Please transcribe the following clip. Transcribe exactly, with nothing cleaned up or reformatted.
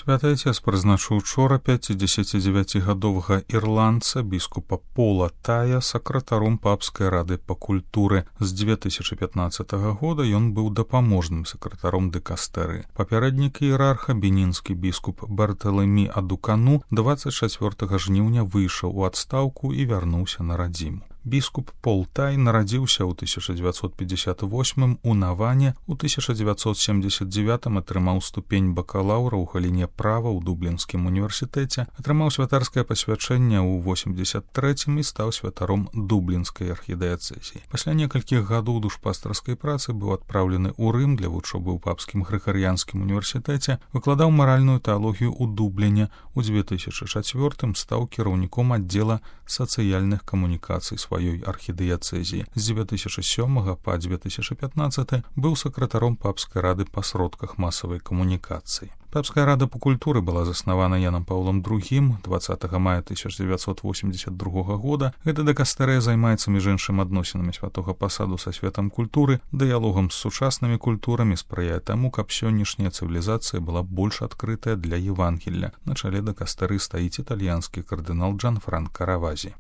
Святы Отец прызначыў учора пяцідзесяцідзевяцігадовага ірландца біскупа Пола Тая сакратаром папскай рады па культуры. З дзве тысячы пятнаццатага года ён быў дапаможным сакратаром дыкастэры. Папярэднік іерарха, бенінскі біскуп Барталемі Адукану, дваццаць чацвёртага жніўня выйшаў у адстаўку і вярнуўся на радзіму. Біскуп Пол Тай нарадзіўся ў тысяча дзевяцьсот пятьдесят восьмым у Наване, у тысяча дзевяцьсот семьдесят девятым атрымаў ступень бакалаўра ў галіне права ў Дублінскім універсітэце, атрымаў святарскае пасвячэнне ў восемьдесят трэцім і стаў святаром Дублінскай архідыяцэзіі. Пасля некалькіх гадоў душпастарскай працы быў адпраўлены ў Рым для вучобы ў папскім грыгарыянскім універсітэце, выкладаў маральную тэалогію ў Дубліне. У дзве тысячы чацвёртым стаў кіраўніком аддзела сацыяльных камунікацый сваёй архідыяцэзіі. З дзве тысячы сёмага па дзве тысячы пятнаццаты быў сакратаром папскай рады па сродках масавай камунікацыі. Папская рада па культуры была заснавана Янам Паўлам другім дваццатага мая тысяча дзевяцьсот восемьдесят другога года. Гэта дыкастэрыя займаецца між іншым адносінамі святога пасаду са светам культуры, дыялогам з сучаснымі культурамі, спрыяе таму, каб сённяшняя цывілізацыя была больш адкрытая для Евангелля. На чале дыкастэры стаіць італьянскі кардынал Джанфранка Равазі.